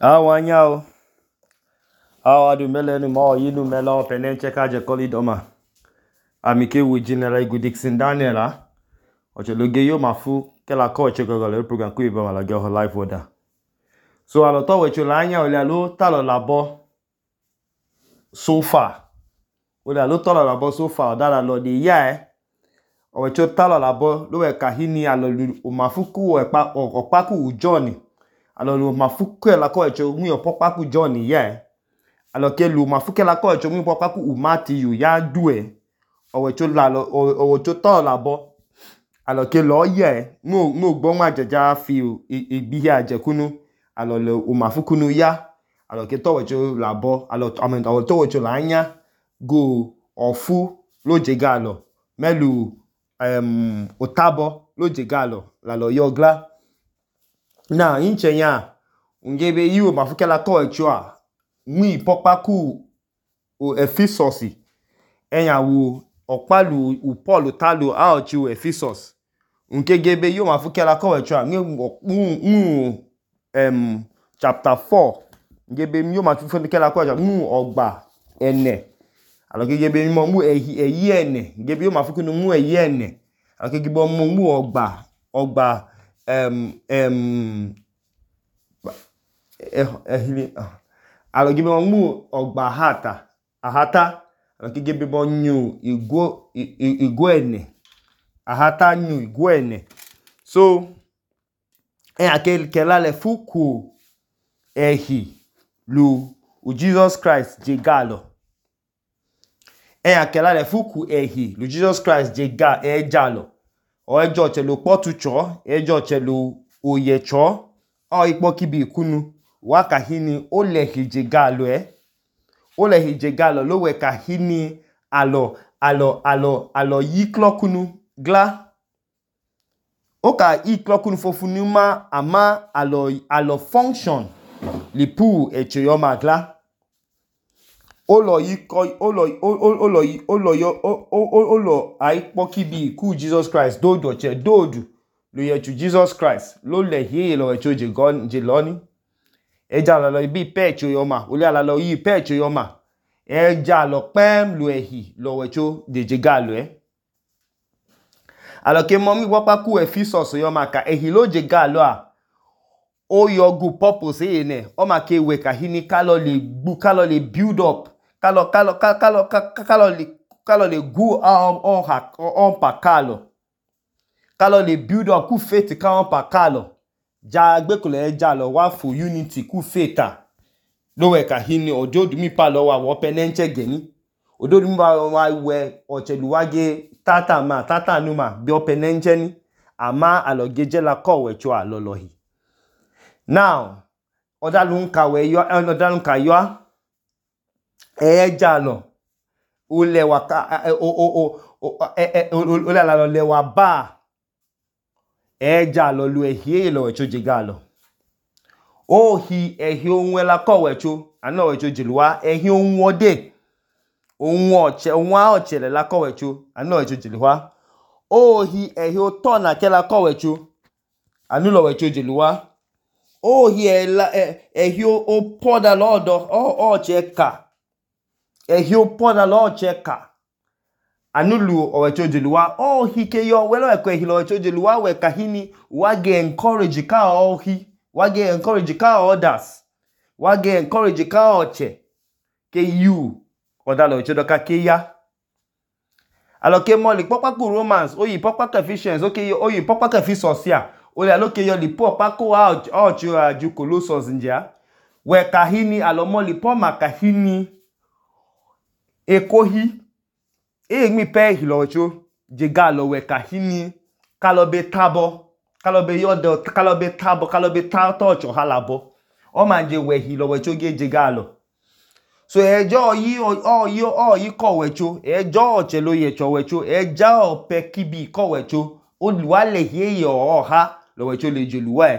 Awanyao. Awadu melenu ma yinu mela penenche kaje kolidoma. Amike wu General Igu Dixon Daniel Ocheloge yo mafu kela ko chegogole program ku iba mala go live order. So alo to we chola anya ole alo talo labo so far. Ole alo talo labo so far dala lo de ya o cho talo labo lo we kahini alo o mafuku opaku ujoni. Alo lu mafuku la ko echo mu opaku John ya. Alo ke lu mafuku la ko echo mu opaku umati yu ya due. O cho la lo o cho talo labo. Alo ke lo ye mo gbo ma jeja fi ibi aje kunu. Alo le o mafuku nu ya. Alo ke to we cho labo. Alo to we cho la anya go ofu lo jegalo. Melu otabo lo jegalo la lo yogla. Na inche nya ngebe yu mafuke la ko echo mu popaku o Ephesus enya wu opalu u Paul talu a ochu Ephesus nke gebe yu mafuke la ko echo chapter 4 ngebe yu mafuke la ko echo mu ogba ene alo ke gebe mu eyi ene ngebe yu mafuke nu mu eyi ene alo ke gebe mu ogba alo gibe mu ogba ahata alo ke gibe bo nyu igo ene ahata nyu igo ene so akela le fuku ehi lu u Jesus Christ jegalo akela le fuku ehi lu Jesus Christ ejalo o ejo chelo potu cho ejo chelo oye cho o ipo kibi kunu wa kahini o le hijegalo o le hijegalo lo we kahini alo yiklo kunu gla o ka yiklo kunu fofunu ma ama alo function lipu echeyoma gla olo aipo kibi ku Jesus Christ dodu lo ye chu Jesus Christ lo le hi lo echo jeloni eja lo ibi pecho yoma ole ala lo yi pecho yoma eja lo pem lo ehi lo echo jegalo alo ke momi wapaku Ephesus yoma ka ehi lo jegalo o yogu purpose ene o ma ke we kahini kalo le build up kalo le go on pa kalo le build up ku faith ka on pa kalo ja gbekule ja lo wa for unity ku faith lo we kahini ojodu mi pa lo wa wo penenche geni ojodu mi wa we ocheluwage tata numa bi o penenche ni ama alogeje la ko we cho alolohi now odalun ka yo ejalo ole wa ole la lo le wa ba ejalo lu ehie lo echo jegalo ohi ehie onwe la ko wecho ana wecho jiluwa ehie onwode onwa ochele la ko wecho ana wecho jiluwa ohi ehie oto na ke la ko wecho anu lo wecho jiluwa ohi ehie opoda lodo ocheka ehie opoda lo cheka anulu owecho jiluwa ohi ke yo welo eko ehie lo wecho jiluwa we kahini wage encourage ka ohi wage encourage ka others wage encourage ka oche ke you odalo wecho doka ke ya alo ke mo li popaku Romans oyi popaku Ephesians oyi popaku Ephesus ya ole alo ke yo li popaku ocho aju Colossians nja we kahini alo mo li po ma kahini ekohi mi pe hilocho jegalo we kahini kalobe tabo kalobe yodo kalobe tabo kalobe tocho halabo o manje we hilo wecho jegalo so ejo yi ko wecho ejo oche lo ye cho wecho eja ope kibi ko wecho oluwa le ye oha lo wecho le jeluwa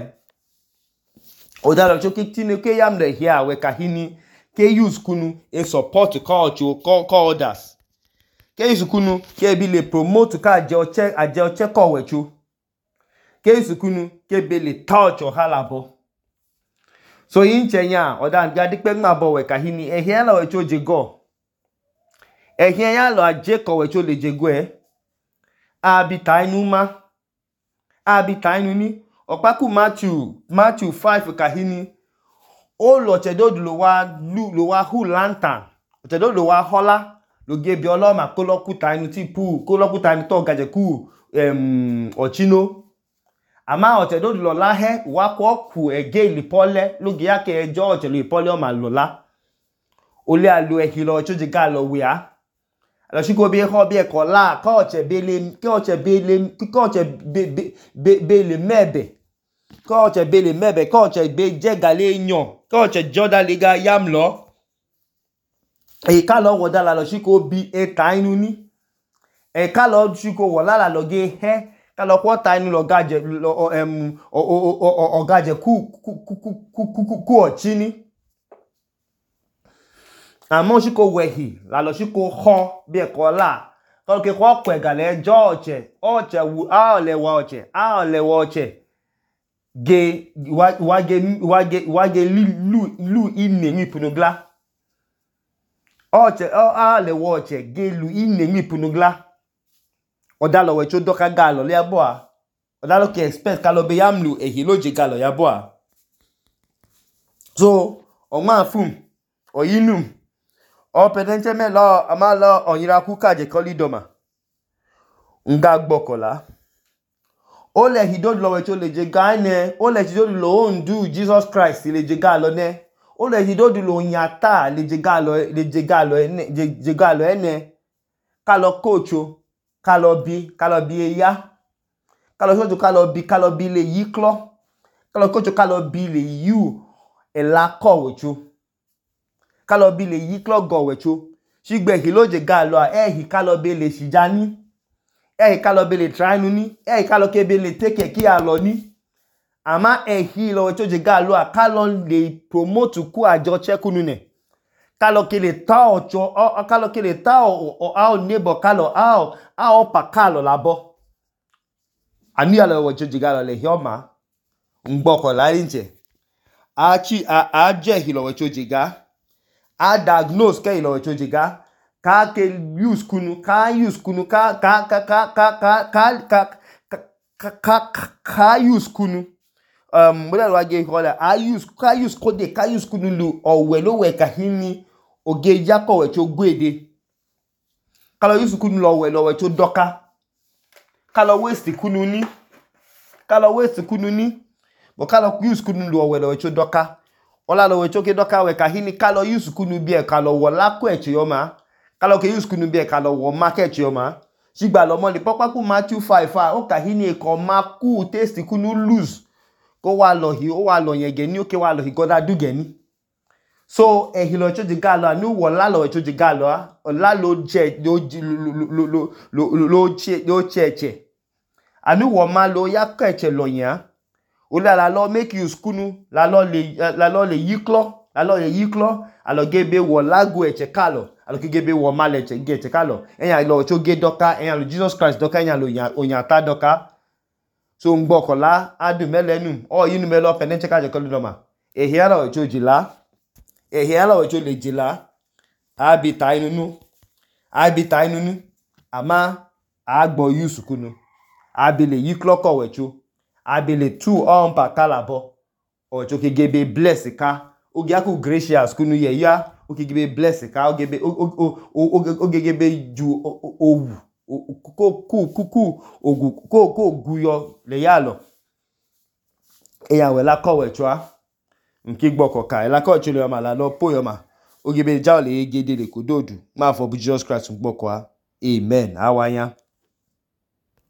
odalo cho kitine ke yam le here we kahini ke use kunu e support culture ko others ke use kunu ke bi le promote ka aje oche ko wecho ke use kunu ke be le touch o halabo So inchenya odan gadikpe ngabo we kahini ehia la wecho jego. Ehia ya lo ajeko wecho le jego abitainuma. Abitainuni okpaku Matthew 5 kahini o lo chedodu lo wa hu lantern. Chedodu lo wa hola lo gebi oloma kolokuta inu ti pu kolokuta inu to gaje ku ochino. Ama ochedodu lo la he wa ku ege ilipole lo ge yake ejo ochelo ipole o ma lo la. Ole alo ehilo wecho jega lo we a. Alo shiko bi ho bi ekola ka oche bele mebe. Ka oche bele mebe ka oche be jegale enyo ka oche joda lega yamlo. E ka lo woda la lo shiko bi etainuni. E ka lo shiko wola la lo ge he ka lo kwota inu lo gaje ogaje ku ochini. Amo shiko wehi la lo shiko ho bi ekola ka lo ke ko kwegale ejo oche wu a le wa oche ge wage lu ine mi punugla. Oche a le wa oche ge lu ine mi punugla. Odalo wecho doka galo le aboa. Odalo ke expect ka lo be yamlu ehilo je galo ya boa. So oma fum oyinum o pedenche me lo amalo onyira kuka je kolidoma. Nga gbokola. Ole hidodu lo wecho le je gane, ole hidodu lo ondu Jesus Christ le je galo ne. Ole hidodu lo nyata le je galo ene. Kalo kocho kalo bi eya. Kalo shojo kalo bi le yiklo. Kalo kocho kalo bi le yu elako wecho. Kalo bi le yiklo go wecho. Shigbe hilo je galo a ehi kalo bi le shijani. Ehi kalo bi le trainuni. Ehi kalo ke bi le teke ki alo ni. Ama ehi lo wecho je galo a kalo le promote ku ajo chekunu ne. Kalo ke le ta ocho kalo ke le ta o neighbor kalo a pa kalo labo. Ani alo wecho je galo le hioma. Ngboko la inche. A je hilo wecho jiga. A diagnose ke hilo wecho jiga. Ka ke use kunu use kunu. Mwela wage hola ka use kunu lu owelo we kahini oge yako wecho gwede. Kalo use kunu lo wecho doka. Kalo waste kunu ni. Bo kalo use kunu lu owelo wecho doka. Ola lo wecho ke doka we kahini kalo use kunu bie kalo wola ko eche yoma. Kalo ke use kunu bie kalo wo market yoma. Shigba lo mo ni popaku Matthew 5 o kahini e ko maku taste kunu lose. Ko wa lo yenge ni o ke wa lo hi goda dugeni. So ehilo wecho je galo anu wola lo wecho je galo a. Ola lo cheche. Anu wo ma lo ya ko eche lo yan. Ola la lo make use kunu la lo le yiklo alo gebe wo lagu eche kalo alo ke gebe wo ma le eche kalo eyan lo cho ge doka eyan lo Jesus Christ doka eyan lo onyata doka. So ngbokola adu melenu o yinu melo penenche ka je kolidoma ehia la wecho jila ehia la wecho le jila abitainunu ama agbo use kunu abile yiklo ko wecho abile tu pa kalabo ocho ke gebe bless ka oge aku gracious kunu ye ya oge gebe bless ka oge gebe ju owu ko guyo le yalo eya we la ko wecho a nki gboko ka la ko chule ma la lo po yo ma oge be ja le gede le kododu ma for Jesus Christ gboko a amen awanya.